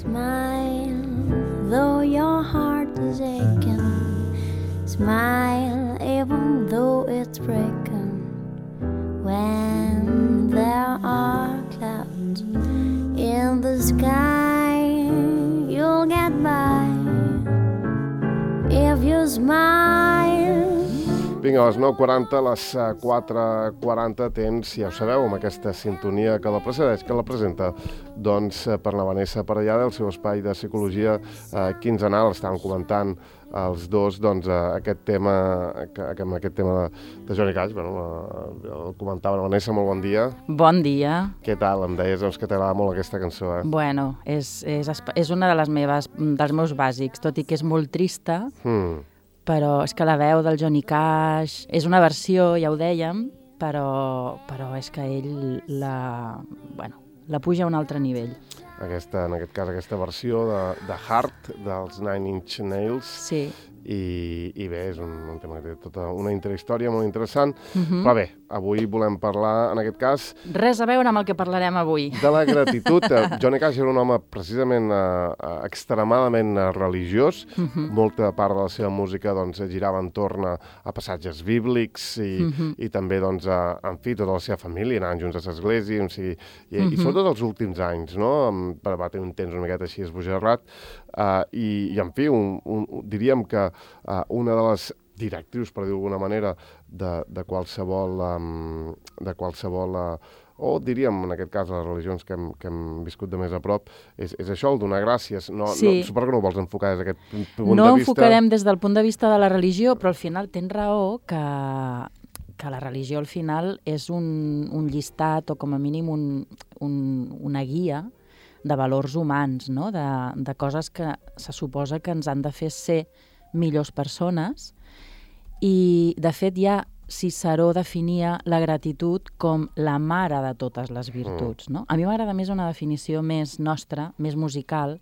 Smile, though your heart is aching. Smile, even though it's breaking. When there are clouds in the sky, you'll get by if you smile. Vinga, a les 9:40, a les 4:40 temps, ja ho sabeu, amb aquesta sintonia que la precedeix, que la presenta, doncs, per la Vanessa Parellada, del seu espai de psicologia quinzenal. Estàvem comentant els dos, doncs, aquest tema de Johnny Cash. El comentava la Vanessa, molt bon dia. Bon dia. Què tal? Em deies doncs, que t'agrada molt aquesta cançó, eh? Bueno, és una dels meus bàsics, tot i que és molt trista, però és que la veu del Johnny Cash és una versió, ja ho dèiem, però és que ell la puja a un altre nivell. En aquest cas, aquesta versió de Heart, dels Nine Inch Nails. Sí. I bé, és un tema que té tota una interhistòria molt interessant. Però bé, avui volem parlar, en aquest cas... Res a veure amb el que parlarem avui. De la gratitud. Johnny Cash era un home precisament extremadament religiós. Molta part de la seva música doncs, girava entorn a passatges bíblics i també, doncs, en fi, tota la seva família anaven junts a l'església. I sobretot els últims anys, no? Va tenir un temps una miqueta així esbojarrat. I en fi, diríem que una de les directrius, per dir d'alguna manera, de qualsevol o diríem, en aquest cas, les religions que hem viscut de més a prop, és això, el donar gràcies. Suposo que no ho vols enfocar des d'aquest punt de vista. No enfocarem des del punt de vista de la religió, però al final tens raó que la religió al final és un llistat o com a mínim una guia de valors humans, no? De coses que se suposa que ens han de fer ser millors persones. I, de fet, ja Ciceró definia la gratitud com la mare de totes les virtuts, no? A mi m'agrada més una definició més nostra, més musical,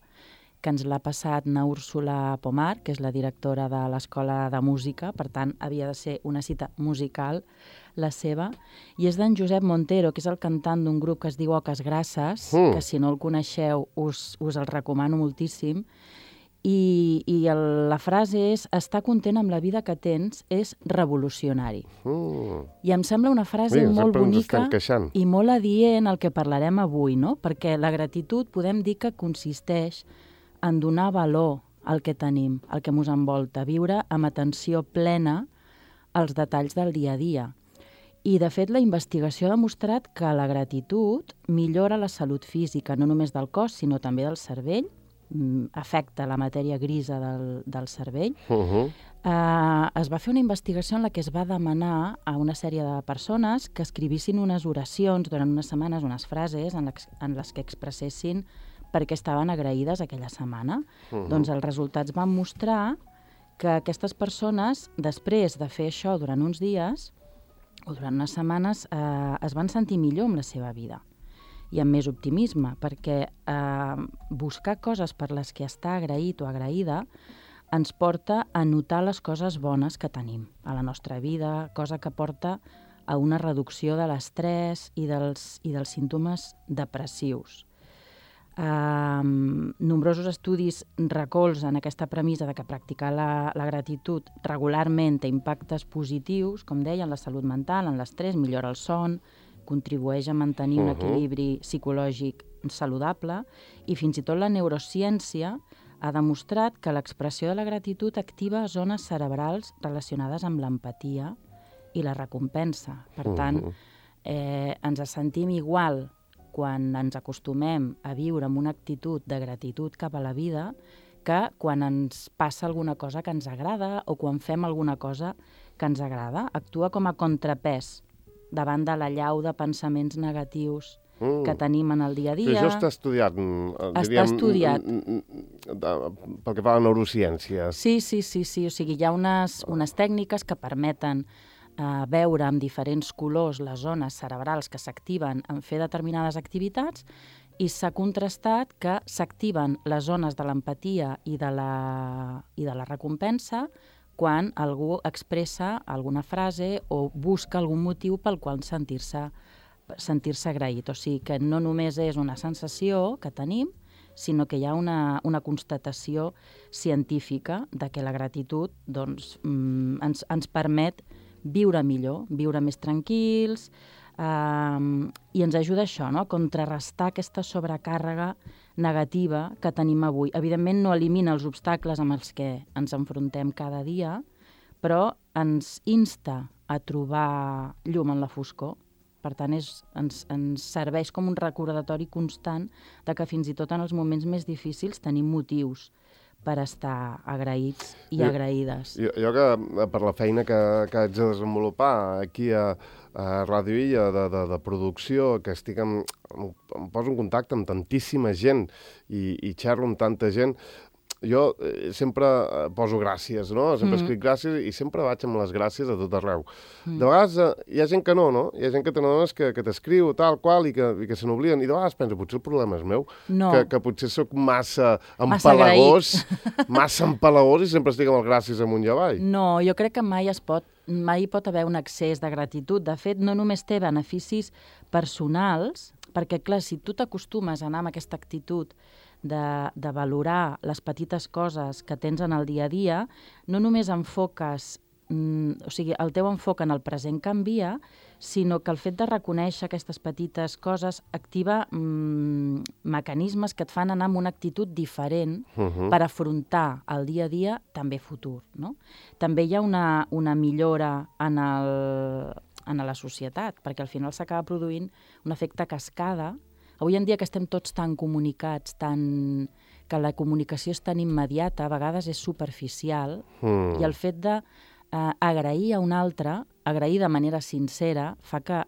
que ens l'ha passat na Úrsula Pomar, que és la directora de l'Escola de Música, per tant, havia de ser una cita musical, la seva, i és d'en Josep Montero, que és el cantant d'un grup que es diu Oques Grasses, que si no el coneixeu us el recomano moltíssim, i la frase és: estar content amb la vida que tens és revolucionari. I em sembla una frase molt bonica i molt adient al que parlarem avui, no? Perquè la gratitud podem dir que consisteix en donar valor al que tenim, al que ens envolta, viure amb atenció plena als detalls del dia a dia. I, de fet, la investigació ha demostrat que la gratitud millora la salut física, no només del cos, sinó també del cervell, afecta la matèria grisa del cervell. Es va fer una investigació en la que es va demanar a una sèrie de persones que escrivissin unes oracions durant unes setmanes, unes frases en les que expressessin per què estaven agraïdes aquella setmana. Doncs els resultats van mostrar que aquestes persones, després de fer això durant uns dies o durant unes setmanes, es van sentir millor amb la seva vida i amb més optimisme, perquè buscar coses per les que estar agraït o agraïda ens porta a notar les coses bones que tenim a la nostra vida, cosa que porta a una reducció de l'estrès i dels símptomes depressius. Nombrosos estudis recolzen aquesta premissa de que practicar la gratitud regularment té impactes positius, com deia, en la salut mental, en l'estrès, millora el son, contribueix a mantenir un equilibri psicològic saludable, i fins i tot la neurociència ha demostrat que l'expressió de la gratitud activa zones cerebrals relacionades amb l'empatia i la recompensa. Per tant, ens sentim igual quan ens acostumem a viure amb una actitud de gratitud cap a la vida que quan ens passa alguna cosa que ens agrada o quan fem alguna cosa que ens agrada. Actua com a contrapès davant de l'allau de pensaments negatius que tenim en el dia a dia. Això està estudiat. Està estudiat. Pel que fa a la neurociència. Sí. O sigui, hi ha unes tècniques que permeten veure amb diferents colors les zones cerebrals que s'activen en fer determinades activitats, i s'ha contrastat que s'activen les zones de l'empatia i de la recompensa quan algú expressa alguna frase o busca algun motiu pel qual sentir-se agraït. O sigui que no només és una sensació que tenim, sinó que hi ha una constatació científica de que la gratitud doncs, ens permet viure millor, viure més tranquils, i ens ajuda això, no? A contrarrestar aquesta sobrecàrrega negativa que tenim avui. Evidentment no elimina els obstacles amb els que ens enfrontem cada dia, però ens insta a trobar llum en la foscor. Per tant, ens serveix com un recordatori constant de que fins i tot en els moments més difícils tenim motius per estar agraïts i agraïdes. Jo que per la feina que haig de desenvolupar aquí a Ràdio Illa de producció, que em poso en contacte amb tantíssima gent i xerro amb tanta gent, jo sempre poso gràcies, no? Sempre escric gràcies i sempre vaig amb les gràcies a tot arreu. De vegades hi ha gent que no? Hi ha gent que te n'adones que t'escriu tal qual i que se n'obliden. I de vegades penso, potser el problema és meu, que potser sóc massa empalagós, i sempre estic amb el gràcies amunt i avall. No, jo crec que mai pot haver un excés de gratitud. De fet, no només té beneficis personals, perquè, clar, si tu t'acostumes a anar amb aquesta actitud de valorar les petites coses que tens en el dia a dia, no només enfoques, o sigui, el teu enfoc en el present canvia, sinó que el fet de reconèixer aquestes petites coses activa mecanismes que et fan anar amb una actitud diferent per afrontar el dia a dia, també futur, no? També hi ha una millora en la societat, perquè al final s'acaba produint un efecte cascada. Avui en dia que estem tots tan comunicats, que la comunicació és tan immediata, a vegades és superficial, i el fet d'agrair a un altre, agrair de manera sincera, fa que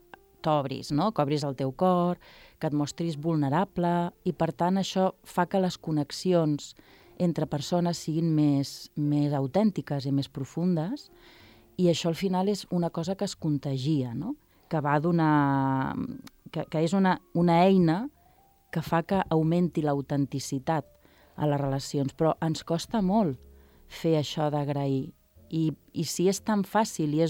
t'obris, no? Que obris el teu cor, que et mostris vulnerable, i per tant això fa que les connexions entre persones siguin més autèntiques i més profundes, i això al final és una cosa que es contagia, no? Que va donar... que és una eina que fa que augmenti l'autenticitat a les relacions, però ens costa molt fer això d'agrair. I si és tan fàcil i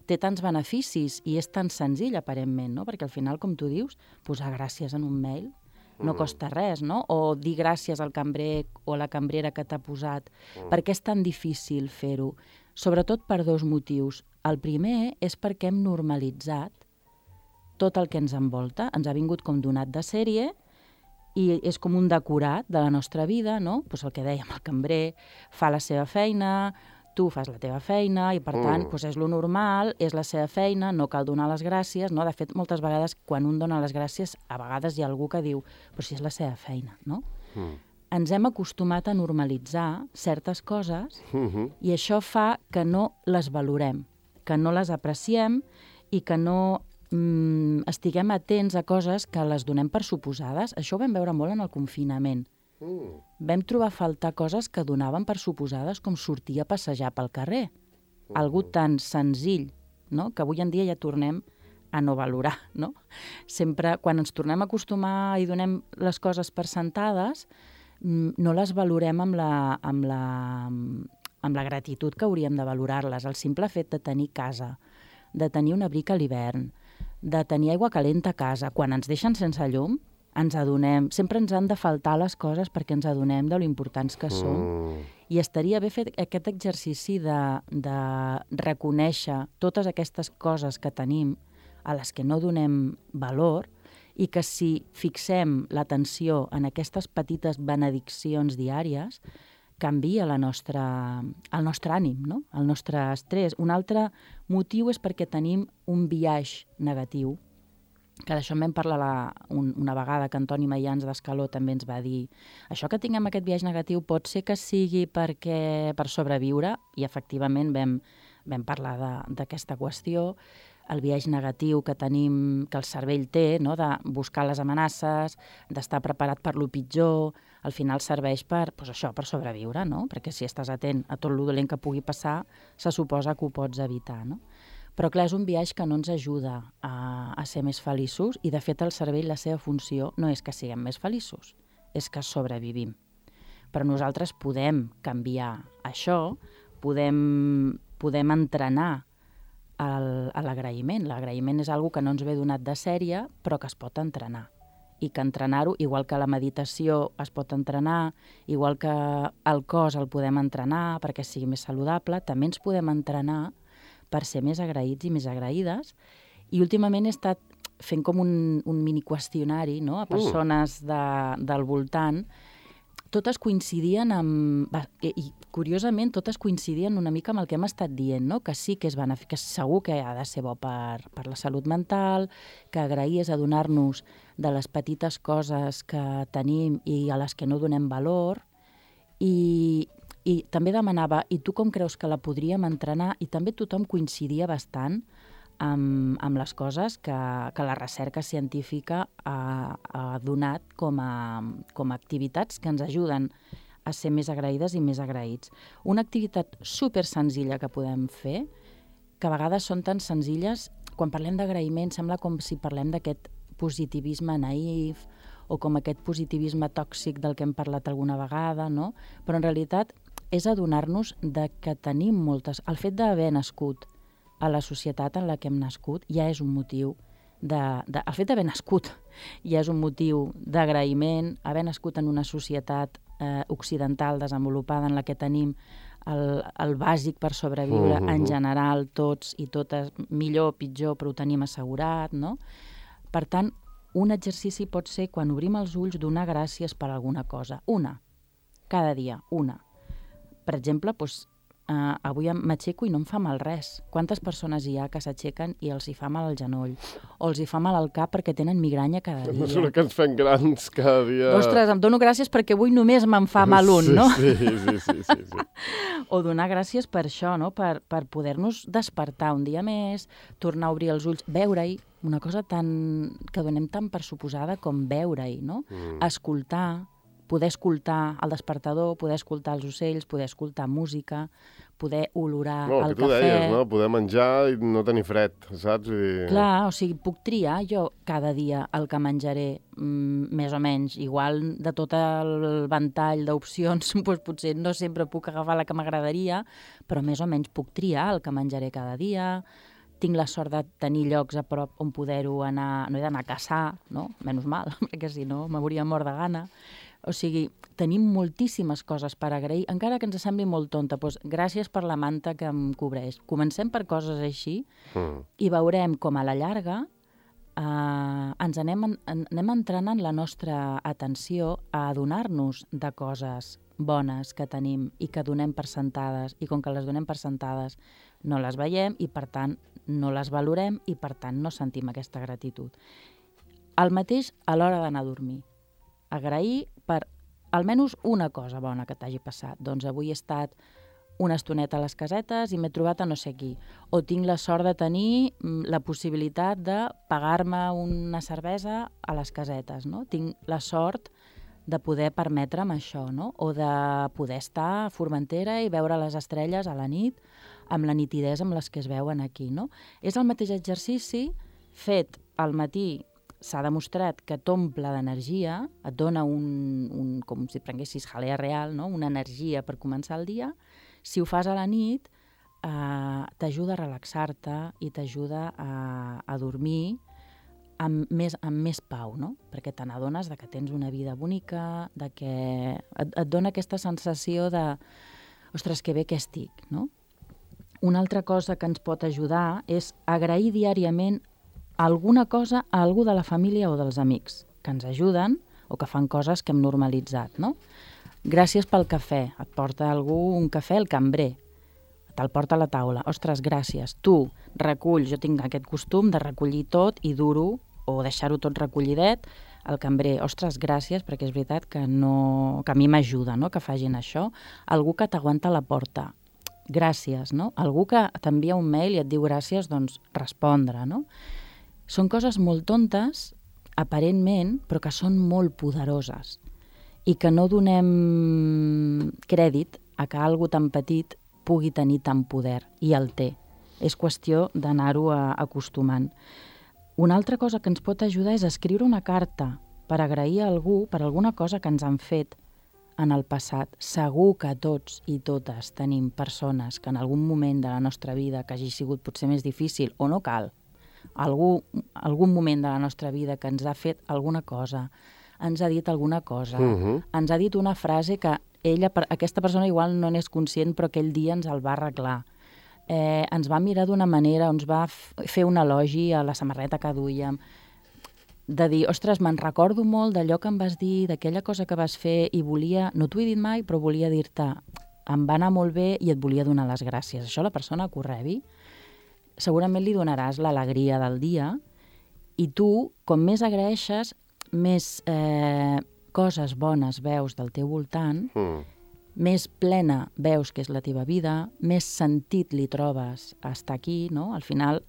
té tants beneficis i és tan senzill, aparentment, no? Perquè al final, com tu dius, posar gràcies en un mail no costa res, no? O dir gràcies al cambrer o a la cambrera que t'ha posat. Per què és tan difícil fer-ho? Sobretot per dos motius. El primer és perquè hem normalitzat tot el que ens envolta, ens ha vingut com donat de sèrie i és com un decorat de la nostra vida, no? Pues el que dèiem, el cambrer fa la seva feina, tu fas la teva feina i, per tant, pues és lo normal, és la seva feina, no cal donar les gràcies, no? De fet, moltes vegades, quan un dona les gràcies, a vegades hi ha algú que diu, però si és la seva feina, no? Ens hem acostumat a normalitzar certes coses i això fa que no les valorem, que no les apreciem i que no estiguem atents a coses que les donem per suposades. Això ho vam veure molt en el confinament. Vam trobar a faltar coses que donaven per suposades, com sortir a passejar pel carrer. Algú tan senzill, no? Que avui en dia ja tornem a no valorar, no? Sempre, quan ens tornem a acostumar i donem les coses per sentades, no les valorem amb la gratitud que hauríem de valorar-les. El simple fet de tenir casa, de tenir un abric a l'hivern, de tenir aigua calenta a casa, quan ens deixen sense llum, ens adonem, sempre ens han de faltar les coses perquè ens adonem de lo importants que som. I estaria bé fer aquest exercici de reconèixer totes aquestes coses que tenim, a les que no donem valor, i que si fixem l'atenció en aquestes petites benediccions diàries, canvia el nostre ànim, no? El nostre estrès. Un altre motiu és perquè tenim un biaix negatiu, que d'això en vam parlar una vegada, que Antoni Mayans d'Escaló també ens va dir això que tinguem aquest biaix negatiu pot ser que sigui per sobreviure, i efectivament vam parlar d'aquesta qüestió, el biaix negatiu que tenim, que el cervell té, no? De buscar les amenaces, d'estar preparat per lo pitjor, al final serveix per sobreviure, no? Perquè si estàs atent a tot lo dolent que pugui passar, se suposa que ho pots evitar, no? Però clar, és un biaix que no ens ajuda a ser més feliços i, de fet, el cervell, la seva funció no és que siguem més feliços, és que sobrevivim. Però nosaltres podem canviar això, podem entrenar a l'agraïment. L'agraïment és algo que no ens ve donat de sèrie, però que es pot entrenar. i que entrenar-ho, igual que la meditació es pot entrenar, igual que el cos el podem entrenar perquè sigui més saludable, també ens podem entrenar per ser més agraïts i més agraïdes. I últimament he estat fent com un mini qüestionari, no?, a persones del voltant. Totes coincidien i curiosament totes coincidien una mica amb el que hem estat dient, no?, que sí que que segur que ha de ser bo per la salut mental, que agrair és adonar-nos de les petites coses que tenim i a les que no donem valor, i també demanava, i tu com creus que la podríem entrenar? I també tothom coincidia bastant amb les coses que la recerca científica ha donat com a activitats que ens ajuden a ser més agraïdes i més agraïts. Una activitat super senzilla que podem fer, que a vegades són tan senzilles, quan parlem d'agraïment sembla com si parlem d'aquest positivisme naïf o com aquest positivisme tòxic del que hem parlat alguna vegada, no? Però en realitat és adonar-nos de que tenim moltes... El fet d'haver nascut a la societat en la que hem nascut ja és un motiu el fet d'haver nascut ja és un motiu d'agraïment, haver nascut en una societat occidental desenvolupada en la que tenim el bàsic per sobreviure en general, tots i totes, millor o pitjor, però ho tenim assegurat, no? Per tant, un exercici pot ser, quan obrim els ulls, donar gràcies per alguna cosa. Una. Cada dia. Una. Per exemple, doncs, avui m'aixeco i no em fa mal res. Quantes persones hi ha que s'aixequen i els hi fa mal al genoll? O els hi fa mal al cap perquè tenen migranya cada dia? A mesura que ens fem grans cada dia... Ostres, em dono gràcies perquè avui només me'n fa mal un, no? Sí. O donar gràcies per això, no? Per poder-nos despertar un dia més, tornar a obrir els ulls, veure-hi, una cosa que donem tan per suposada com veure-hi, no? Escoltar, poder escoltar el despertador, poder escoltar els ocells, poder escoltar música, poder olorar el cafè... Que tu deies, no? Poder menjar i no tenir fred, saps? Clar, o sigui, puc triar jo cada dia el que menjaré, més o menys. Igual de tot el ventall d'opcions, doncs potser no sempre puc agafar la que m'agradaria, però més o menys puc triar el que menjaré cada dia. Tinc la sort de tenir llocs a prop on poder-ho anar... No he d'anar a caçar, no? Menys mal, perquè si no m'hauria mort de gana. O sigui, tenim moltíssimes coses per agrair, encara que ens sembli molt tonta. Doncs gràcies per la manta que em cobreix. Comencem per coses així i veurem com a la llarga ens anem entrenant la nostra atenció a adonar-nos de coses bones que tenim i que donem per sentades, i com que les donem per sentades no les veiem i, per tant, no les valorem i, per tant, no sentim aquesta gratitud. El mateix a l'hora d'anar a dormir. Agrair per almenys una cosa bona que t'hagi passat. Doncs avui he estat una estoneta a les casetes i m'he trobat a no sé qui. O tinc la sort de tenir la possibilitat de pagar-me una cervesa a les casetes, no? Tinc la sort de poder permetre'm això, no? O de poder estar a Formentera i veure les estrelles a la nit amb la nitidesa amb les que es veuen aquí, no? És el mateix exercici fet al matí. S'ha demostrat que t'omple d'energia, et dona com si prenguessis jalea real, no? Una energia per començar el dia. Si ho fas a la nit, t'ajuda a relaxar-te i t'ajuda a dormir amb més pau, no? Perquè te n'adones que tens una vida bonica, que et dona aquesta sensació de ostres, que bé que estic, no? Una altra cosa que ens pot ajudar és agrair diàriament alguna cosa a algú de la família o dels amics que ens ajuden o que fan coses que hem normalitzat, no? Gràcies pel cafè. Et porta algú un cafè, el cambrer. Te'l porta a la taula. Ostres, gràcies. Tu reculls. Jo tinc aquest costum de recollir tot i dur-ho o deixar-ho tot recollidet. El cambrer, ostres, gràcies, perquè és veritat que a mi m'ajuda, no?, que facin això. Algú que t'aguanta a la porta. Gràcies, no? Algú que t'envia un mail i et diu gràcies, doncs respondre, no? Són coses molt tontes, aparentment, però que són molt poderoses i que no donem crèdit a que algo tan petit pugui tenir tant poder, i el té. És qüestió d'anar-ho acostumant. Una altra cosa que ens pot ajudar és escriure una carta per agrair a algú per alguna cosa que ens han fet en el passat. Segur que tots i totes tenim persones que en algun moment de la nostra vida que hagi sigut potser més difícil, o no cal, algun moment de la nostra vida que ens ha fet alguna cosa, ens ha dit alguna cosa, ens ha dit una frase que aquesta persona igual no n'és conscient, però aquell dia ens el va arreglar. Ens va mirar d'una manera, ens va fer un elogi a la samarreta que duíem, de dir, ostres, me'n recordo molt d'allò que em vas dir, d'aquella cosa que vas fer, i volia, no t'ho he dit mai, però volia dir-te, em va anar molt bé i et volia donar les gràcies. Això a la persona que ho rebi, segurament li donaràs l'alegria del dia, i tu, com més agraeixes, més coses bones veus del teu voltant, més plena veus que és la teva vida, més sentit li trobes a estar aquí, no? Al final,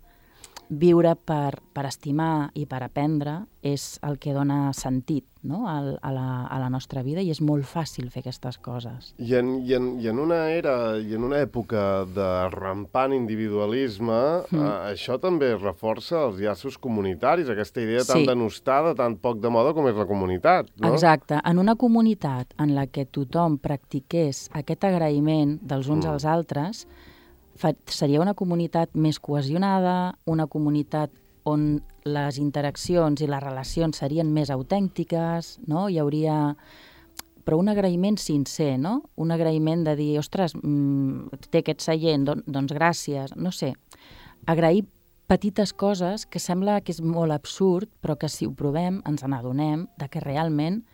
viure per estimar i per aprendre és el que dona sentit, no? a la nostra vida, i és molt fàcil fer aquestes coses. I en una era i en una època de rampant individualisme, això també reforça els llaços comunitaris, aquesta idea tan denostada, tan poc de moda com és la comunitat, no? Exacte. En una comunitat en la que tothom practiqués aquest agraïment dels uns als altres, seria una comunitat més cohesionada, una comunitat on les interaccions i les relacions serien més autèntiques, no? Hi hauria... Però un agraïment sincer, no? Un agraïment de dir, ostres, té aquest seient, doncs gràcies, no sé. Agrair petites coses que sembla que és molt absurd, però que si ho provem ens n'adonem de que realment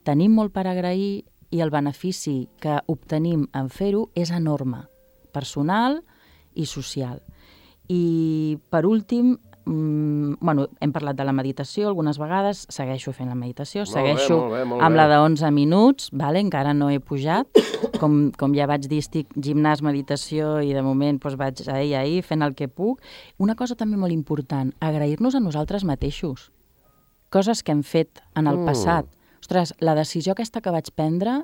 tenim molt per agrair i el benefici que obtenim en fer-ho és enorme, personal i social. I, per últim, hem parlat de la meditació algunes vegades, segueixo fent la meditació, segueixo amb la de 11 minuts, encara no he pujat, com ja vaig dir, estic gimnàs, meditació, i de moment vaig ahir fent el que puc. Una cosa també molt important, agrair-nos a nosaltres mateixos, coses que hem fet en el passat. Ostres, la decisió aquesta que vaig prendre,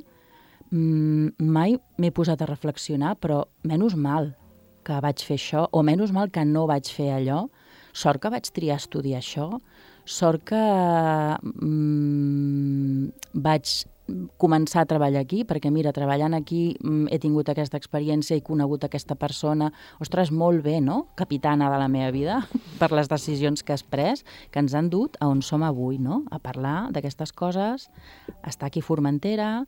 mai m'he posat a reflexionar, però menys mal que vaig fer això, o menys mal que no vaig fer allò. Sort que vaig triar estudiar això, sort que vaig començar a treballar aquí, perquè mira, treballant aquí he tingut aquesta experiència, he conegut aquesta persona, ostres, molt bé, no? Capitana de la meva vida, per les decisions que has pres, que ens han dut a on som avui, no? A parlar d'aquestes coses, a estar aquí a Formentera,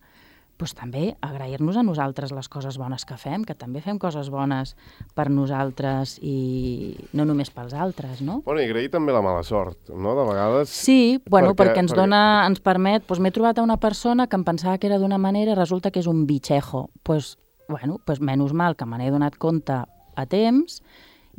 doncs també agrair-nos a nosaltres les coses bones que fem, que també fem coses bones per nosaltres i no només pels altres, no? Bueno, i agrair també la mala sort, no? De vegades... Sí, perquè ens permet... M'he trobat a una persona que em pensava que era d'una manera i resulta que és un bitxejo. Doncs menys mal que me n'he donat compte a temps,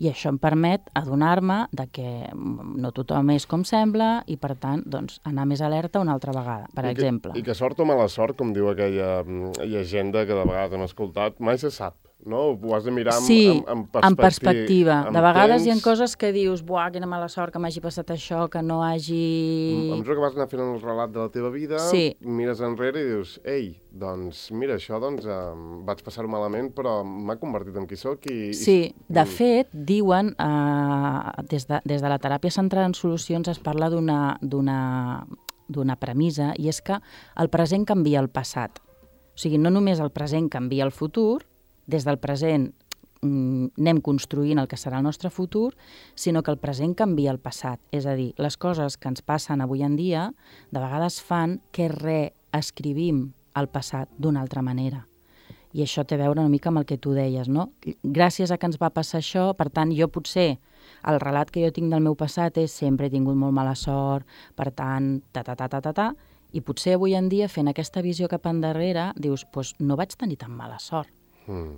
i això em permet adonar-me que no tothom és com sembla i, per tant, anar més alerta una altra vegada, per exemple. I que sort o mala sort, com diu aquella llegenda que de vegades hem escoltat, mai se sap, no? Ho has de mirar en perspectiva. De vegades hi ha coses que dius, buah, quina mala sort que m'hagi passat això, que no hagi... A mesura que vas anar fent el relat de la teva vida, mires enrere i dius, ei, doncs mira, això vaig passar-ho malament, però m'ha convertit en qui soc i... Sí, de fet, diuen, des de la teràpia centrada en solucions es parla d'una premissa, i és que el present canvia el passat. O sigui, no només el present canvia el futur, des del present anem construint el que serà el nostre futur, sinó que el present canvia el passat. És a dir, les coses que ens passen avui en dia de vegades fan que reescrivim el passat d'una altra manera. I això té a veure una mica amb el que tu deies, no? Gràcies a que ens va passar això, per tant, jo potser, el relat que jo tinc del meu passat és sempre he tingut molt mala sort, per tant, i potser avui en dia, fent aquesta visió cap endarrere, dius, doncs no vaig tenir tan mala sort.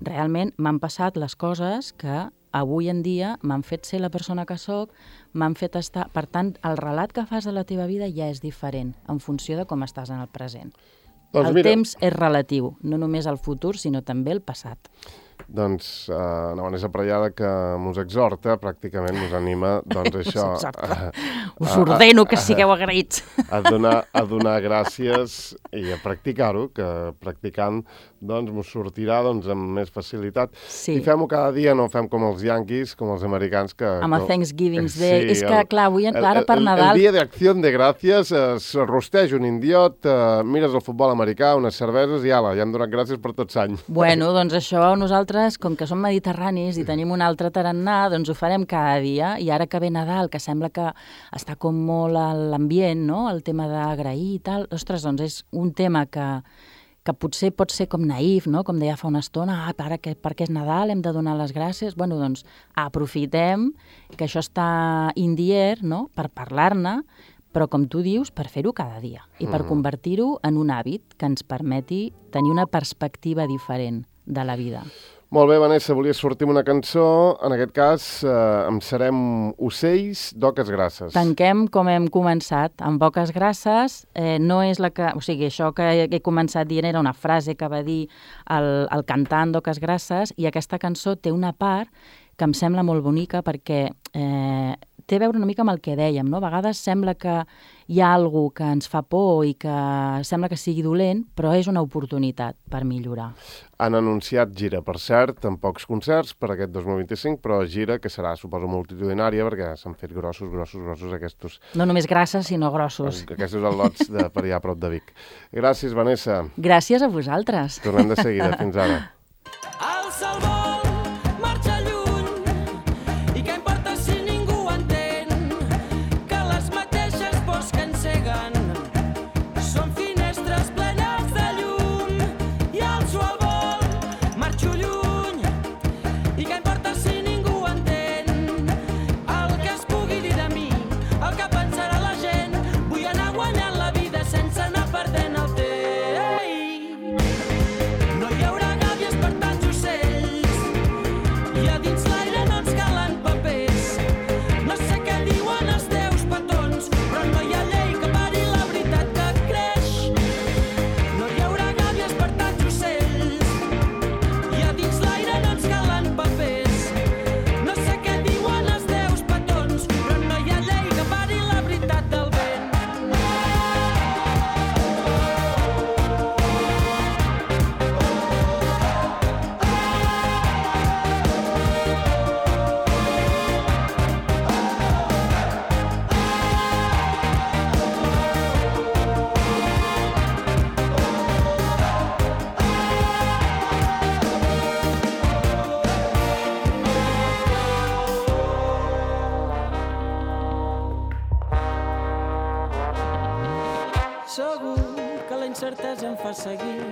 Realment m'han passat les coses que avui en dia m'han fet ser la persona que sóc, m'han fet estar... Per tant, el relat que fas de la teva vida ja és diferent en funció de com estàs en el present. El temps és relatiu, no només el futur, sinó també el passat. Doncs una Vanessa Prallada que mos exhorta, pràcticament mos anima, doncs això... Us ordeno que sigueu agraïts. A donar gràcies i a practicar-ho, que practicant doncs mos sortirà amb més facilitat. Sí. I fem-ho cada dia, no fem com els yanquis, com els americans que... Amb el Thanksgiving Day. És que, clar, avui, ara per Nadal... El dia d'acció de gràcies, es rosteix un indiot, mires el futbol americà, unes cerveses i ala, ja hem donat gràcies per tots anys. Bueno, doncs això nosaltres nosaltres, com que som mediterranis i tenim un altre tarannà, doncs ho farem cada dia, i ara que ve Nadal, que sembla que està com molt a l'ambient, no?, el tema d'agrair i tal, ostres, doncs és un tema que potser pot ser com naïf, no?, com deia fa una estona, ara que perquè és Nadal hem de donar les gràcies, bueno, doncs aprofitem que això està in the air, no?, per parlar-ne, però com tu dius, per fer-ho cada dia i per convertir-ho en un hàbit que ens permeti tenir una perspectiva diferent de la vida. Molt bé, Vanessa, volia sortir amb una cançó, en aquest cas em serem Ocells d'Oques Grasses. Tanquem com hem començat, amb Oques Grasses, no és la que... O sigui, això que he començat dient era una frase que va dir el cantant d'Oques Grasses, i aquesta cançó té una part que em sembla molt bonica perquè té a veure una mica amb el que dèiem, no? A vegades sembla que hi ha alguna que ens fa por i que sembla que sigui dolent, però és una oportunitat per millorar. Han anunciat gira, per cert, en pocs concerts per aquest 2025, però gira que serà, suposo, multitudinària, perquè s'han fet grossos aquests... No només grasses, sinó grossos. Aquests al·lots per allà a prop de Vic. Gràcies, Vanessa. Gràcies a vosaltres. Tornem de seguida. Fins ara. Segur que la incertesa em fa seguir,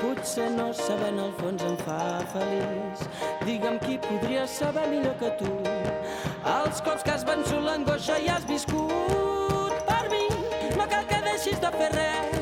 potser no sabent al fons em fa feliç. Digue'm qui podria saber millor que tu els cops que has vençut l'angoixa i has viscut. Per mi no cal que deixis de fer res,